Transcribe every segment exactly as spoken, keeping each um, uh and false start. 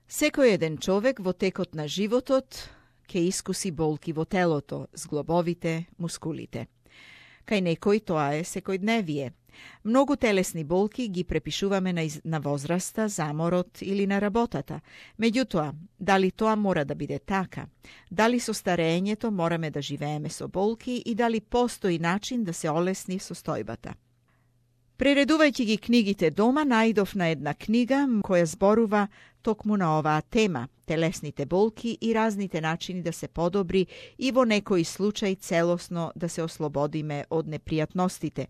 Секој еден човек во текот на животот ќе искуси болки во телото, зглобовите, мускулите. Кај некој тоа е секојдневие. Многу телесни болки ги препишуваме на, из... на возраста, заморот или на работата. Меѓутоа, дали тоа мора да биде така? Дали со стареењето мораме да живееме со болки и дали постои начин да се олесни состојбата? Прередувајќи ги книгите дома, најдов на една книга која зборува токму на оваа тема, телесните болки и разните начини да се подобри и во некој случај целосно да се ослободиме од непријатностите.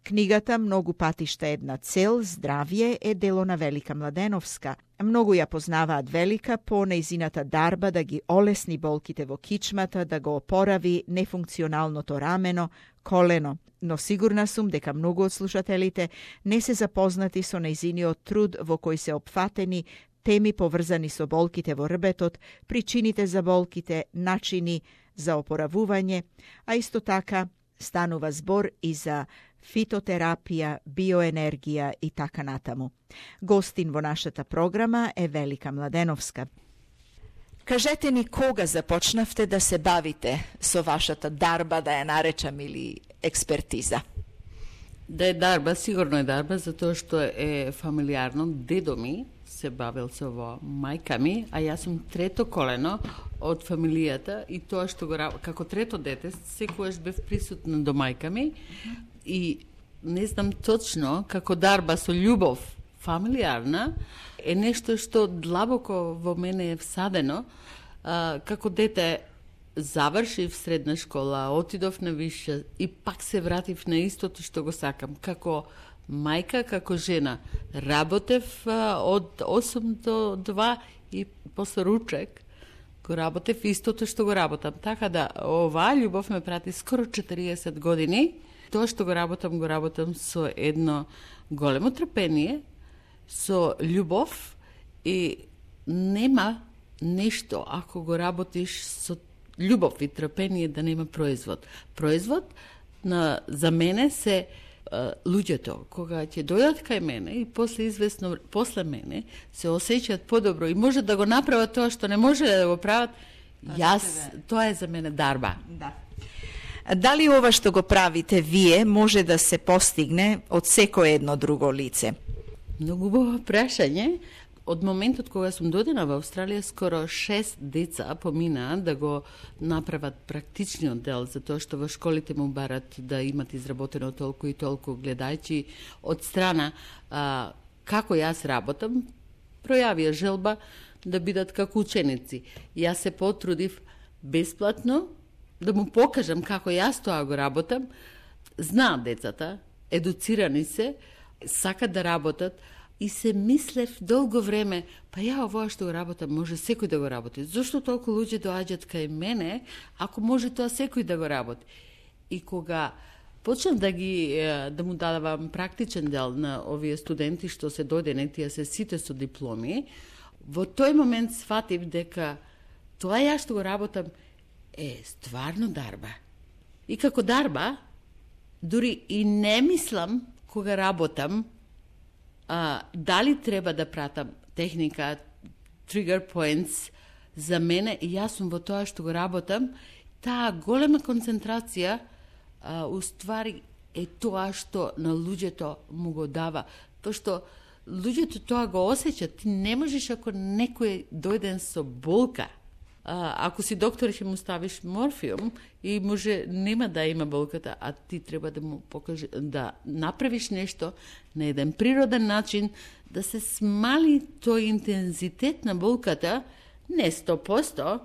Книгата многу патишта една цел, здравје, е дело на Велика Младеновска. Многу ја познаваат Велика по нејзината дарба да ги олесни болките во кичмата, да го опорави нефункционалното рамено, колено. Но сигурна сум дека многу од слушателите не се запознати со нејзиниот труд во кој се опфатени теми поврзани со болките во рбетот, причините за болките, начини за опоравување, а исто така станува збор и за фитотерапија, биоенергија и така натаму. Гостин во нашата програма е Велика Младеновска. Кажете ни кога започнавте да се бавите со вашата дарба, да ја наречам, или експертиза? Да е дарба, сигурно е дарба, затоа што е фамилиарно. Дедо ми се бавил со во мајка ми, а јас сум трето колено од фамилијата и тоа што го како трето дете секогаш бев присутна до мајка ми и не знам точно како дарба со љубов фамилиарна е нешто што длабоко во мене е всадено. А, како дете завршив средна школа, отидов на висша и пак се вратив на истото што го сакам. Како мајка, како жена. Работев а, од осум до два и после ручек го работев истото што го работам. Така да, оваа љубов ме прати скоро четириесет години. Тоа што го работам, го работам со едно големо трпение, со љубов и нема нешто ако го работиш со љубов и трпение да нема производ. Производ на, за мене се а, луѓето, кога ќе дојдат кај мене и после известно после мене се осеќаат подобро и може да го направат тоа што не може да го прават, јас, тоа е за мене дарба. Да. Дали ова што го правите вие може да се постигне од секое едно друго лице? Многу убаво прашање. Од моментот кога сум додена во Австралија, скоро шест деца поминаа да го направат практичниот дел, затоа што во школите му барат да имат изработено толку и толку, гледајќи од страна а, како јас работам, пројавија желба да бидат како ученици. Јас се потрудив бесплатно да му покажам како јас тоа го работам. Знаат децата, едуцирани се, сакат да работат, и се мислев долго време, па ја овоа што го работам, може секој да го работи. Зошто толку луѓе доаѓаат кај мене, ако може тоа секој да го работи? И кога почнав да ги да му дадавам практичен дел на овие студенти што се дојдени, тие се сите со дипломи, во тој момент сфатив дека тоа ја што го работам е стварно дарба. И како дарба, дури и не мислам кога работам, а, дали треба да пратам техника, trigger points за мене, и јас сум во тоа што го работам, таа голема концентрација а, уствари е тоа што на луѓето му го дава. Тоа што луѓето тоа го осеќат, ти не можеш ако некој дојден со болка, А, ако си доктор ќе му ставиш морфиум и може нема да има болката, а ти треба да му покаже, да направиш нешто на еден природен начин, да се смали тој интензитет на болката, не сто проценти,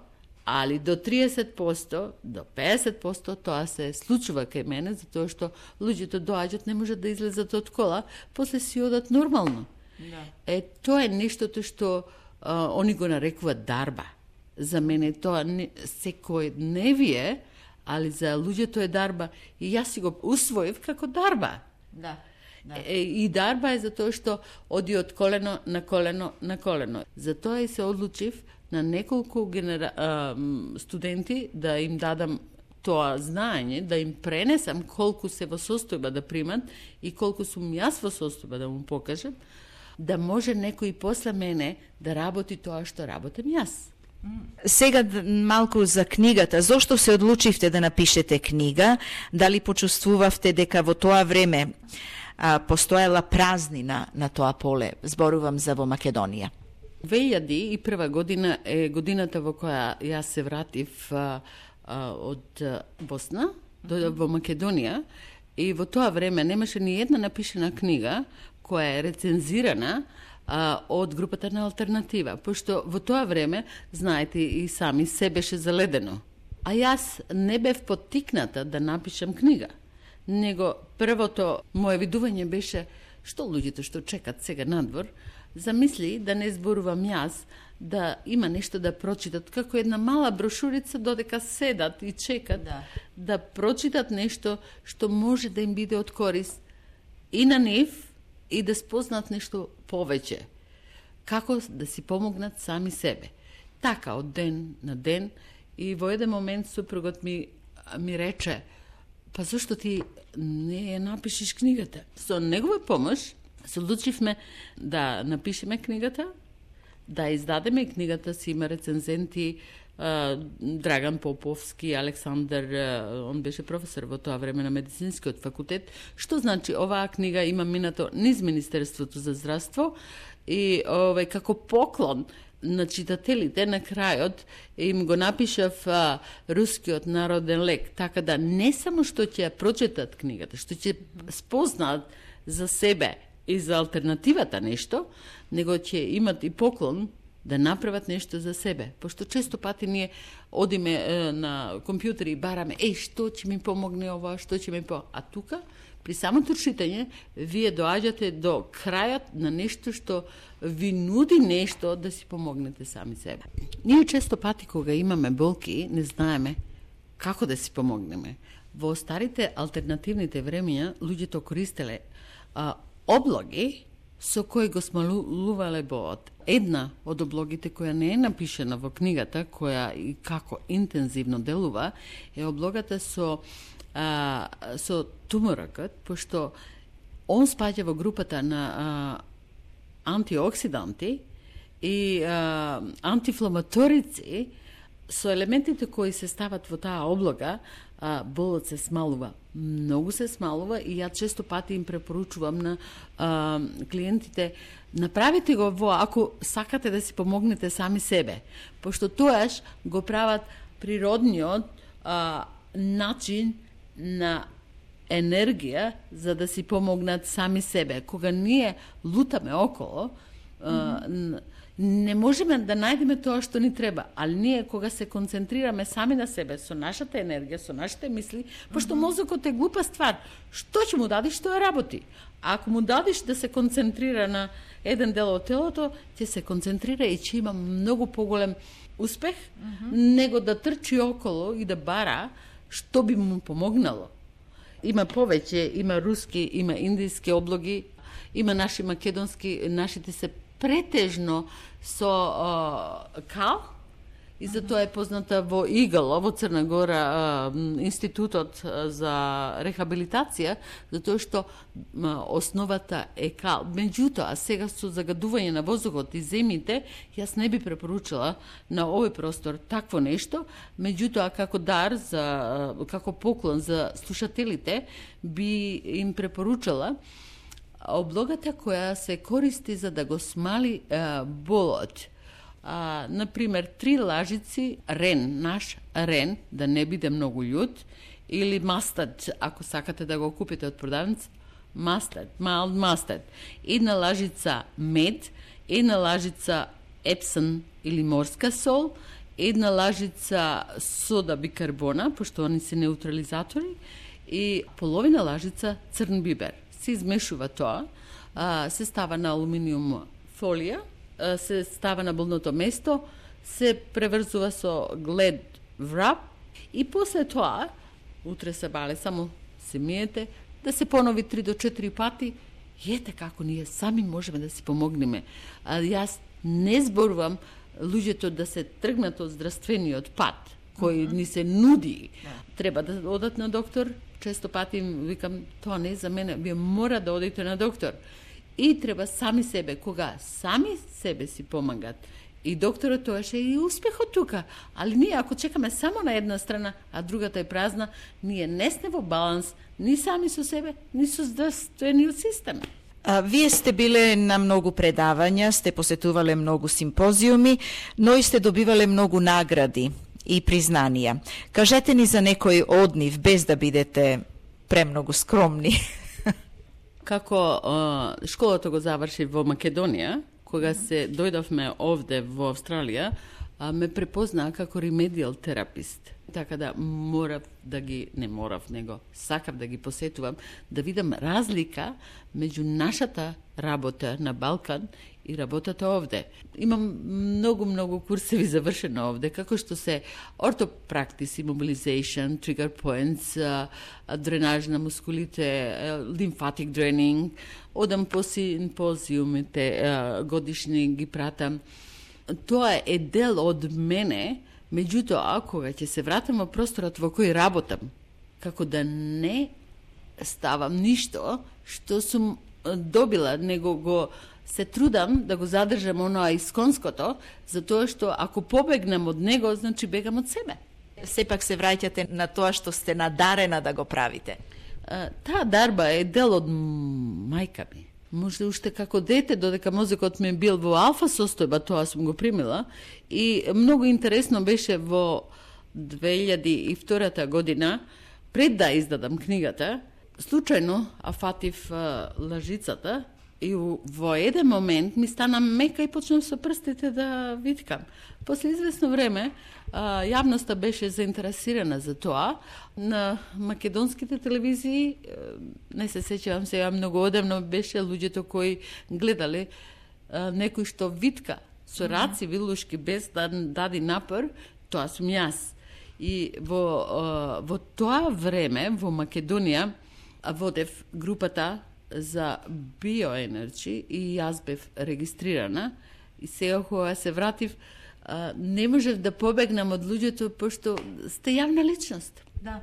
али до триесет проценти, до педесет проценти, тоа се случува кај мене, затоа што луѓето доаѓаат, не можат да излезат од кола, после си одат нормално. Да. Е, тоа е нештото што а, они го нарекуваат дарба. За мене тоа не, секојдневие, али за луѓето е дарба. И јас си го усвоив како дарба. Да. Да. Е, и дарба е затоа што оди од колено на колено на колено. Затоа и се одлучив на неколку генера... а, студенти да им дадам тоа знаење, да им пренесам колку се во состојба да примат и колку сум јас во состојба да му покажам. да може некој после мене да работи тоа што работам јас. Сега малку за книгата. Зошто се одлучивте да напишете книга? Дали почувствувавте дека во тоа време а, постоела празнина на тоа поле? Зборувам за во Македонија. две илјади и прва година е годината во која јас се вратив а, а, од Босна до, во Македонија, и во тоа време немаше ни една напишена книга која е рецензирана а, од групата на Алтернатива, пошто во тоа време, знаете и сами, се беше заледено. А јас не бев поттикната да напишам книга, него првото моje видување беше што луѓето што чекат сега надвор, замисли да не зборувам јас, да има нешто да прочитат, како една мала брошурица додека седат и чекат да, да прочитат нешто што може да им биде од корист и на нив, и да спознат нешто повеќе. Како да си помогнат сами себе. Така, од ден на ден, и во еден момент супругот ми, ми рече, па зашто ти не ја напишеш книгата? Со негова помош се одлучивме да напишеме книгата, да издадеме книгата, си има рецензенти, Драган Поповски, Александар, он беше професор во тоа време на медицинскиот факултет, што значи оваа книга има минато низ Министерството за здравство, и овај како поклон на читателите на крајот им го напишав а, рускиот народен лек, така да не само што ќе ја прочитат книгата, што ќе спознаат за себе и за алтернативата нешто, него ќе имат и поклон да направат нешто за себе. Пошто често пати ние одиме е, на компјутери и бараме, еј, што ќе ми помогне ова, што ќе ми по... А тука, при самото читање, вие доаѓате до крајот на нешто што ви нуди нешто да си помогнете сами себе. Ние често пати кога имаме болки, не знаеме како да си помогнеме. Во старите алтернативните времења, луѓето користеле а, облоги со кои го смалувале боот. Една од облогите која не е напишена во книгата, која и како интензивно делува, е облогата со а, со туморакот, пошто он спаѓа во групата на а, антиоксиданти и а, антифламаторици, со елементите кои се стават во таа облога, а, болот се смалува. Многу се смалува, и ја често пати им препоручувам на а, клиентите, направите го во, ако сакате да си помогнете сами себе, пошто тоаш го прават природниот а, начин на енергија за да си помогнат сами себе. Кога ние лутаме около, mm-hmm. не можеме да најдеме тоа што ни треба, али ние кога се концентрираме сами на себе, со нашата енергија, со нашите мисли, пошто mm-hmm. мозокот е глупа ствар, што ќе му дадиш, тоа работи. А ако му дадиш да се концентрира на еден дел од телото, ќе се концентрира и ќе има многу поголем успех, mm-hmm. него да трчи около и да бара што би му помогнало. Има повеќе, има руски, има индиски облоги, има наши македонски, нашите се претежно со а, кал, и затоа е позната во Игало, во Црна Гора, а, институтот за рехабилитација, затоа што а, основата е кал. Меѓутоа, сега со загадување на воздухот и земјите, јас не би препоручила на овој простор такво нешто, меѓутоа како дар, за, како поклон за слушателите, би им препоручала облогата која се користи за да го смали а, болот. А, например, три лажици рен, наш рен, да не биде многу људ, или мастад, ако сакате да го купите од продавница, мастад, mild mustard. Една лажица мед, една лажица епсон или морска сол, една лажица сода бикарбона, пошто они се неутрализатори, и половина лажица црн бибер. Се измешува тоа, а, се става на алуминиум фолија, а, се става на болното место, се преврзува со глед врап, и после тоа, утре се бале, само се миете, да се понови три до четири пати, и ете како ние сами можеме да си помогнеме. А јас не зборувам луѓето да се тргнат од здравствениот пат, кој uh-huh. ни се нуди. Yeah. Треба да одат на доктор. Често пати им викам, тоа не е за мене, вие мора да одите на доктор. И треба сами себе, кога сами себе си помагат. И докторот тоаше и успехот тука. Али ние ако чекаме само на една страна, а другата е празна, ние не сме во баланс ни сами со себе, ни со здравствениот систем. А, вие сте биле на многу предавања, сте посетувале многу симпозиуми, но и сте добивале многу награди и признанија. Кажете ни за некој од нив, без да бидете премногу скромни. Како а, школата го заврши во Македонија, кога се дојдовме овде во Австралија, а, ме препознаа како ремедијал терапист. Така да морав да ги, не морав, него сакав да ги посетувам, да видам разлика меѓу нашата работа на Балкан и работата овде. Имам многу, многу курсеви завршено овде, како што се ортопрактис, immobilization, trigger points, дренаж на мускулите, лимфатик дренинг, одам по симпозиумите годишни ги пратам. Тоа е дел од мене, меѓутоа, кога ќе се вратам во просторот во кој работам, како да не ставам ништо што сум добила, него го се трудам да го задржам оноа исконското, затоа што ако побегнам од него, значи бегам од себе. Сепак се враќате на тоа што сте надарена да го правите. Таа дарба е дел од мајка ми. Може уште како дете, додека мозокот ми бил во алфа состојба, тоа сум го примила. И многу интересно беше во две илјади и втора година, пред да издадам книгата, случајно афатив лажицата и во еден момент ми стана мека и почнав со прстите да виткам. После известно време јавноста беше заинтересирана за тоа. На македонските телевизии, не се сеќавам сега многу одамно, беше луѓето кои гледале некој што витка со раци вилушки без да дади напор, тоа сум јас. И во, во тоа време во Македонија водев групата за биоенерджи и јас бев регистрирана. И сега кога се вратив, не можев да побегнам од луѓето, пошто сте јавна личност. Да.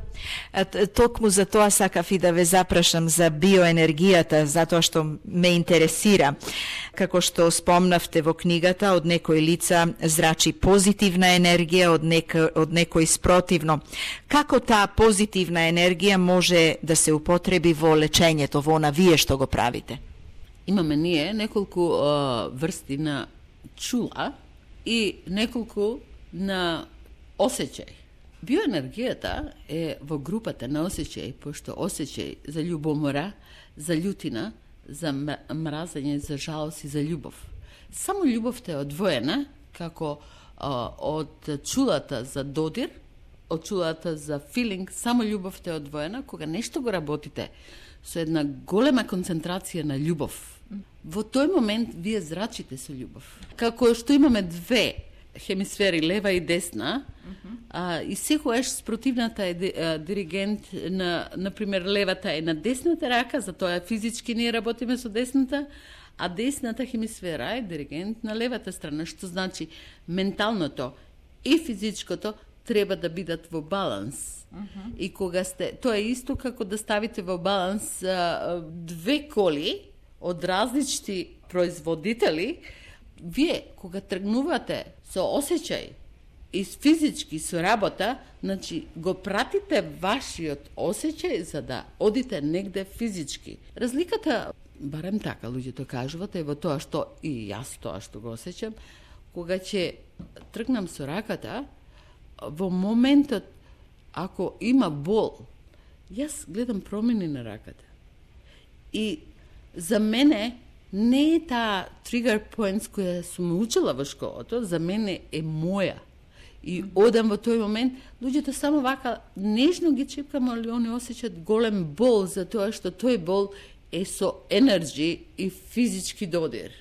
Токму за тоа сакав и да ве запрашам за биоенергијата, затоа што ме интересира. Како што спомнавте во книгата, од некои лица зрачи позитивна енергија, од, нек, од некои спротивно. Како таа позитивна енергија може да се употреби во лечењето, во она вие што го правите? Имаме ние неколку uh, врсти на чула и неколку на осеќај. Биоенергијата е во групата на осеќај, пошто осеќај за љубомора, за љутина, за мразење, за жалост и за љубов. Само љубовта е одвоена, како а, од чулата за додир, од чулата за филинг, само љубовта е одвоена, кога нешто го работите со една голема концентрација на љубов. Во тој момент вие зрачите со љубов. Како што имаме две хемисфери, лева и десна, uh-huh. а, и секогаш спротивната е а, диригент на, например, левата е на десната рака, затоа физички ние работиме со десната, а десната хемисфера е диригент на левата страна, што значи менталното и физичкото треба да бидат во баланс. Uh-huh. И кога сте, тоа е исто како да ставите во баланс а, две коли од различни производители. Вие, кога тргнувате со осеќај и физички со работа, значи го пратите вашиот осеќај за да одите негде физички. Разликата, барем така луѓето кажуваат, е во тоа што и јас тоа што го осеќам, кога ќе тргнам со раката, во моментот ако има бол, јас гледам промени на раката. И за мене не е таа trigger points која сум учила во школото, за мене е моја. И одам во тој момент, луѓето само вака нежно ги чепкам, али они осеќаат голем бол, затоа што тој бол е со енерджи и физички додир.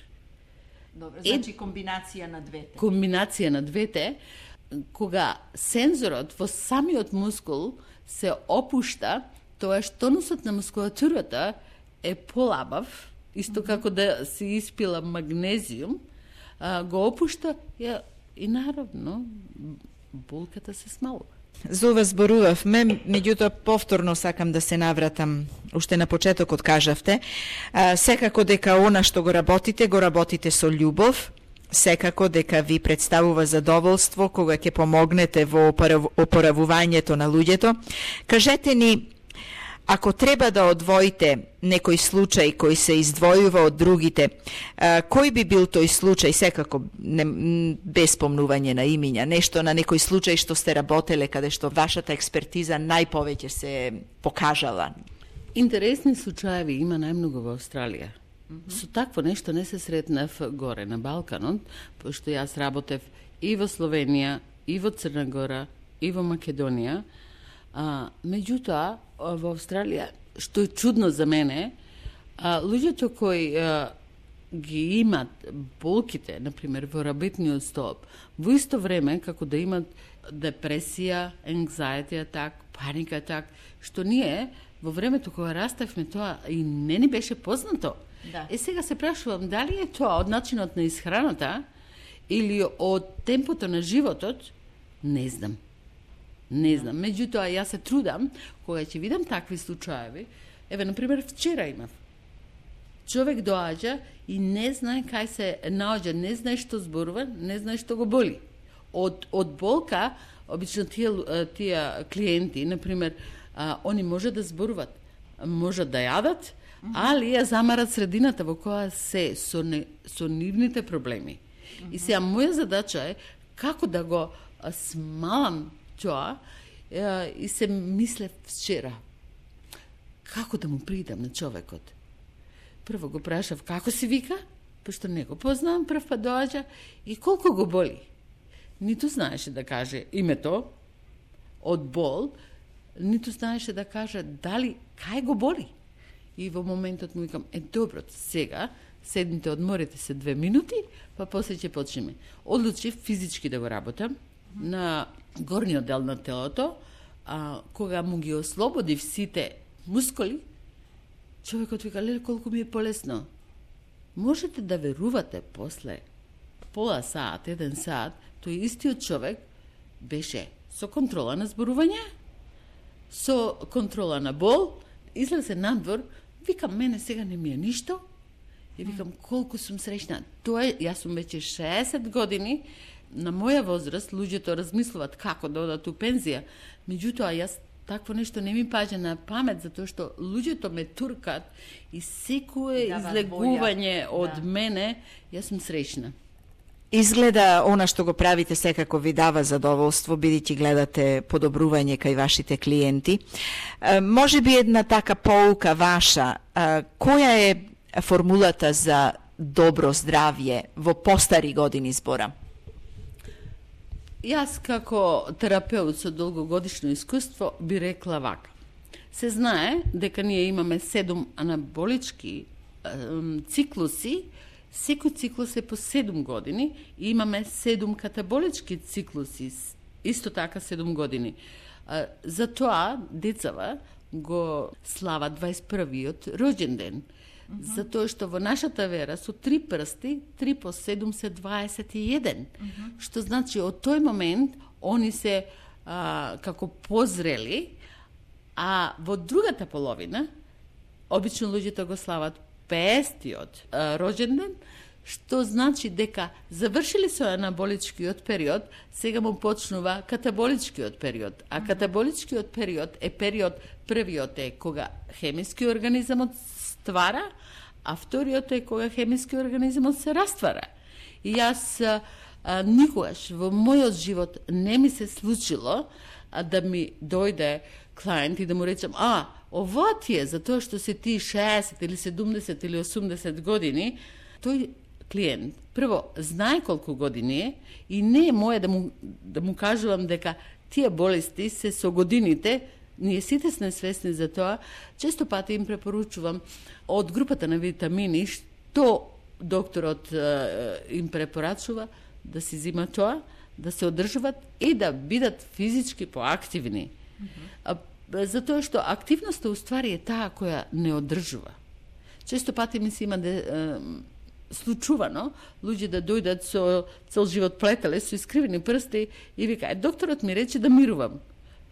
Добро, значи е, комбинација на двете. Комбинација на двете, кога сензорот во самиот мускул се опушта, тоа тонусот на мускулатурата е полабав, исто mm-hmm. како да се испила магнезиум, а, го опушта ја, и наравно болката се смалува. За ова зборувавме, меѓутоа повторно сакам да се навратам. Уште на почетокот кажавте, а, секако дека она што го работите, го работите со љубов, секако дека ви представува задоволство кога ќе помогнете во опоравувањето на луѓето. Кажете ни, ако треба да одвоите некој случај кој се издвојува од другите, а, кој би бил тој случај, секако не, без помнување на имиња, нешто на некој случај што сте работеле, каде што вашата експертиза најповеќе се покажала? Интересни случаеви има најмногу во Австралија. Mm-hmm. Со такво нешто не се сретнав горе на Балканот, пошто јас работев и во Словенија, и во Црна Гора, и во Македонија. А, меѓутоа, во Австралија, што е чудно за мене, а, луѓето кои а, ги имат болките, например, во работниот столб, во исто време, како да имат депресија, anxiety attack, паника attack, што ние, во времето кога раставме тоа, и не ни беше познато. Да. Е, сега се прашувам, дали е тоа од начинот на исхраната, или од темпото на животот, не знам. Не знам, меѓутоа јас се трудам кога ќе видам такви случаеви. Еве, например, вчера имав. Човек доаѓа и не знае кај се наоѓа, не знае што зборува, не знае што го боли. Од од болка, обично тие тие клиенти, например, а, они може да зборуват, може да јадат, mm-hmm. али ја замарат средината во која се со, не, со нивните проблеми. Mm-hmm. И сега моја задача е како да го смалам тоа, и се мислев вчера, како да му придам на човекот. Прво го прашав како си вика, пошто не го познавам, прв па доаѓа, и колку го боли. Ниту знаеше да каже името од бол, ниту знаеше да каже дали кај го боли. И во моментот му викам, е добро, сега седните, одморите се две минути, па после ќе почнеме. Одлучив физички да го работам на горниот дел на телото, а кога му ги ослободив сите мускули, човекот вика, леле, колку ми е полесно. Можете да верувате после пола саат, еден саат, тој истиот човек беше со контрола на зборување, со контрола на бол, излезе надвор, викам, мене сега не ми е ништо, и викам, колку сум среќна. Тоа е, јас сум веќе шеесет години, на моја возраст луѓето размислуваат како да одат у пензија, меѓутоа јас такво нешто не ми паѓа на памет, затоа што луѓето ме туркат и секое излегување од да. мене, јас сум среќна. Изгледа она што го правите секако ви дава задоволство, бидејќи гледате подобрување кај вашите клиенти. Е, може би една така поука ваша, е, која е формулата за добро здравје во постари години збора? Јас како терапеут со долгогодишно искуство би рекла вака. Се знае дека ние имаме седум анаболички е, циклуси, секој циклус е по седум години и имаме седум катаболички циклуси, исто така седум години. Е, затоа децава го слава дваесет првиот роѓен ден. Mm-hmm. Затоа што во нашата вера со три прсти, три по седум се дваесет и еден. Mm-hmm. Што значи од тој момент они се а, како позрели, а во другата половина обично луѓето го слават петдесетиот роѓен ден, што значи дека завршили со анаболичкиот период, сега му почнува катаболичкиот период. А катаболичкиот период е период, првиот е кога хемиски организмот ствара, а вториот е кога хемиски организмот се раствара. И јас а, а, никогаш во мојот живот не ми се случило а, да ми дојде клиент и да му речам, а, ова ти е затоа што се ти шеесет или седумдесет или осумдесет години, тој клиент прво знае колку години е и не е моје да му, да му кажувам дека тие болести се со годините. Ние сите сме свесни за тоа. Често пати им препоручувам од групата на витамини што докторот е, им препорачува да си зима тоа, да се одржуваат и да бидат физички поактивни. Mm-hmm. Затоа што активноста уствари е таа која не одржува. Често пати ми се има де, е, случувано луѓе да дојдат со цел живот плетеле, со искривени прсти и вика, докторот ми рече да мирувам.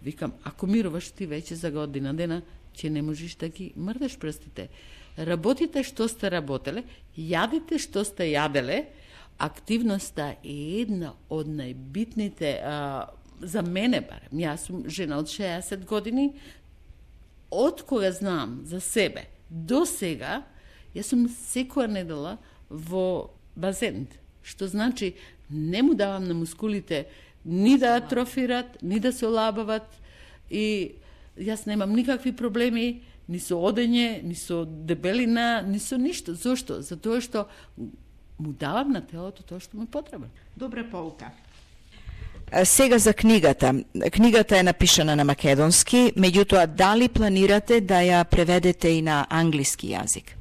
Викам, ако мируваш ти веќе за година дена, ќе не можеш да ги мрдаш прстите. Работите што сте работеле, јадите што сте јаделе. Активноста е една од најбитните, а, за мене барем. Јас сум жена од шеесет години, од кога знам за себе до сега, јас сум секоја недела во базен, што значи не му давам на мускулите ни да атрофират, ни да се олабават, и јас немам никакви проблеми ни со одење, ни со дебелина, ни со ништо. Зошто? Затоа што му давам на телото тоа што му потреба. Добра полка. Сега за книгата. Книгата е напишана на македонски, меѓутоа дали планирате да ја преведете и на англиски јазик?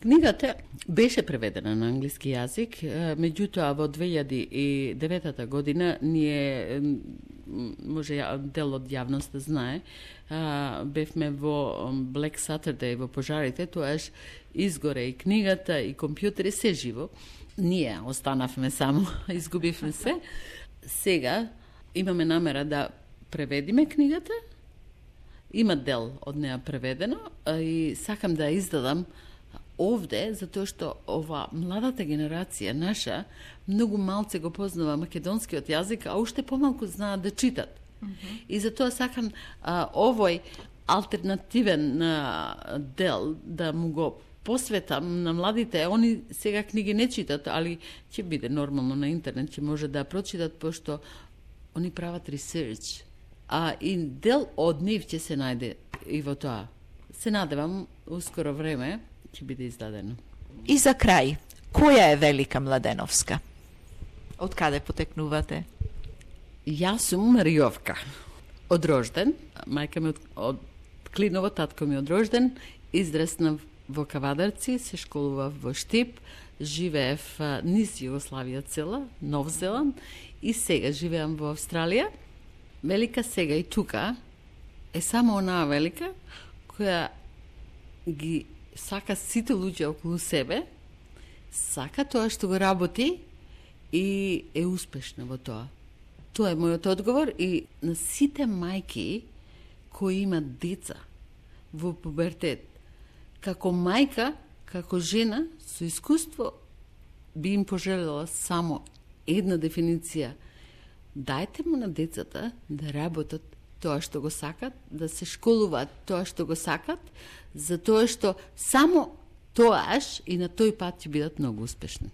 Книгата беше преведена на англиски јазик, меѓутоа во две илјади и девета година ние, може дел од јавноста знае, бевме во Black Saturday, во пожарите, тоаш изгоре и книгата, и компјутери, се живо. Ние останавме само, изгубивме се. Сега имаме намера да преведиме книгата, има дел од неа преведено, и сакам да издадам овде, затоа што ова младата генерација наша многу малце го познава македонскиот јазик, а уште помалку знаат да читат. Mm-hmm. И затоа сакам а, овој алтернативен а, дел да му го посветам на младите. Они сега книги не читат, али ќе биде нормално на интернет, ќе може да прочитат, пошто они прават ресерч. А и дел од нив ќе се најде и во тоа. Се надевам, ускоро време ќе биде издадено. И за крај, која е Велика Младеновска? Од каде потекнувате? Јас сум Маријовка. Од рожден, мајка ми од, од Клиново, татко ми од рожден, израснав во Кавадарци, се школував во Штип, живеев низ Југославија цела, Нов Зеланд, и сега живеам во Австралија. Велика сега и тука е само онаа велика која ги сака сите луѓе околу себе, сака тоа што го работи и е успешна во тоа. Тоа е мојот одговор, и на сите мајки кои имат деца во пубертет, како мајка, како жена со искуство, би им пожелела само една дефиниција. Дајте му на децата да работат тоа што го сакат, да се школуваат тоа што го сакат, затоа што само тоаш и на тој пат ќе бидат многу успешни.